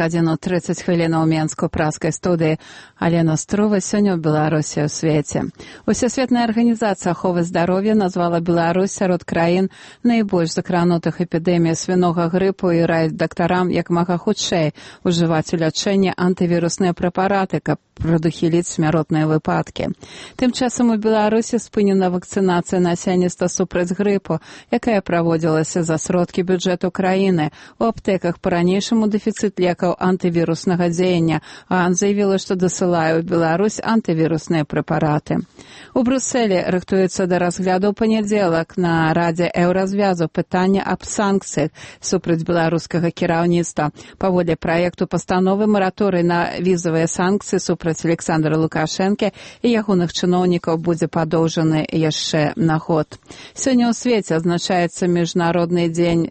годин 30 хвілін у Менску-праскай студыі. Алена Струва сёння ў Беларусі ў свеце. Усесветная арганізацыя аховы здароўя назвала Беларусь сярод краін найбольш закранутых эпідэміяй свінога грыпу і раіць дактарам як мага хутчэй ужываць у лячэнні антывірусныя прэпараты, каб прадухіліць смяротныя выпадкі. Тым часам у Беларусі спынена вакцынацыя насельніцтва супраць грыпу, якая праводзілася за сродкі бюджэту краіны. У аптэках па-ранейшаму дэфіцыт лекаў антывіруснага дзеяння, а заявіла, што дасылае ў Беларусь антывірусныя прэпараты. У Брусэлі рыхтуецца да разгляду ў панядзелак на Радзе Еўразвязу пытанне аб санкцыях супраць беларускага кіраўніцтва. Паводле праекту пастановы мараторый на візавыя санкцыі супраць Александра Лукашэнкі і ягоных чыноўнікаў будзе падоўжаны яшчэ на год. Сёння ў свеце адзначаецца Міжнародны дзень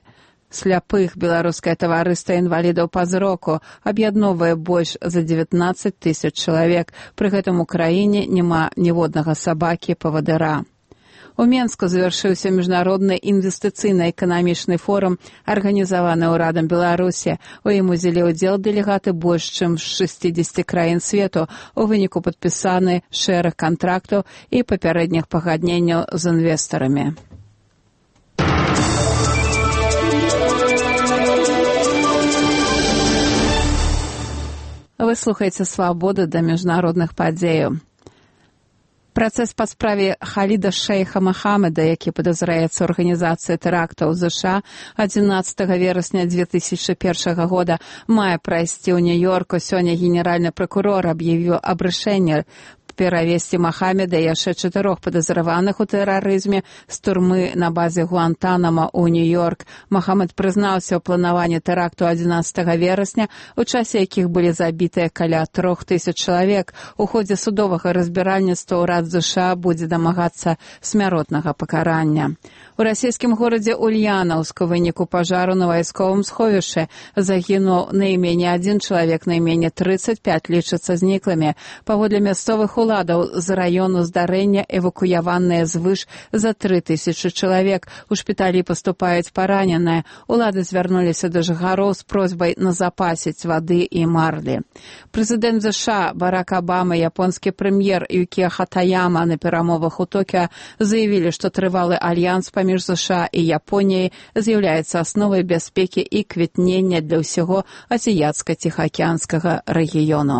сляпых. Беларускае таварыства інвалідаў па зроку аб'ядноўвае больш за 19 тысяч чалавек. Пры гэтым у краіне няма ніводнага сабакі-павадыра. У Менску завяршыўся міжнародны інвестыцыйна-эканамічны форум, арганізаваны ўрадам Беларусі. У ім узялі ўдзел дэлегаты больш чым з 60 краін свету. У выніку падпісаны шэраг кантрактаў і папярэдніх пагадненняў з інвестарамі. Вы слухаеце «Свабоду» да міжнародных падзеяў. Працэс па справе Халіда шэйха Махамеда, які падазраецца ў арганізацыі тэрактаў ЗША 11 верасня 2001 года, мае прайсці ў Нью-Йорку. Сёння генеральны пракурор аб'явіў аб рашэнні перавесці Махамеда і яшчэ 4 падазраваных у тэрарызме з турмы на базе Гуантанамо ў Нью-Йорк. Махамед прызнаўся ў планаванні тэракту 11 верасня, у часе якіх былі забітыя каля 3000 чалавек. У ходзе судовага разбіральніцтва ўрад ЗША будзе дамагацца смяротнага пакарання. У расійскім горадзе Ульянаўск у выніку пажару на вайсковым сховішчы загінуў найменей 1 чалавек, найменей 35 лічацца зніклымі. Паводле мясцовых уладаў з раёну здарэння эвакуяваныя звыш за 3000 чалавек. У шпіталі паступаюць параненыя. Улады звярнуліся да жыхароў з просьбай назапасіць вады і марлі. Прэзідэнт ЗША Барак Абама і японскі прэм'ер Юкіо Хатаяма на перамовах у Токіо заявілі, што трывалы альянс паміж ЗША і Японіяй з'яўляецца асновай бяспекі і квітнення для ўсяго азіяцка-ціхаакіянскага рэгіёну.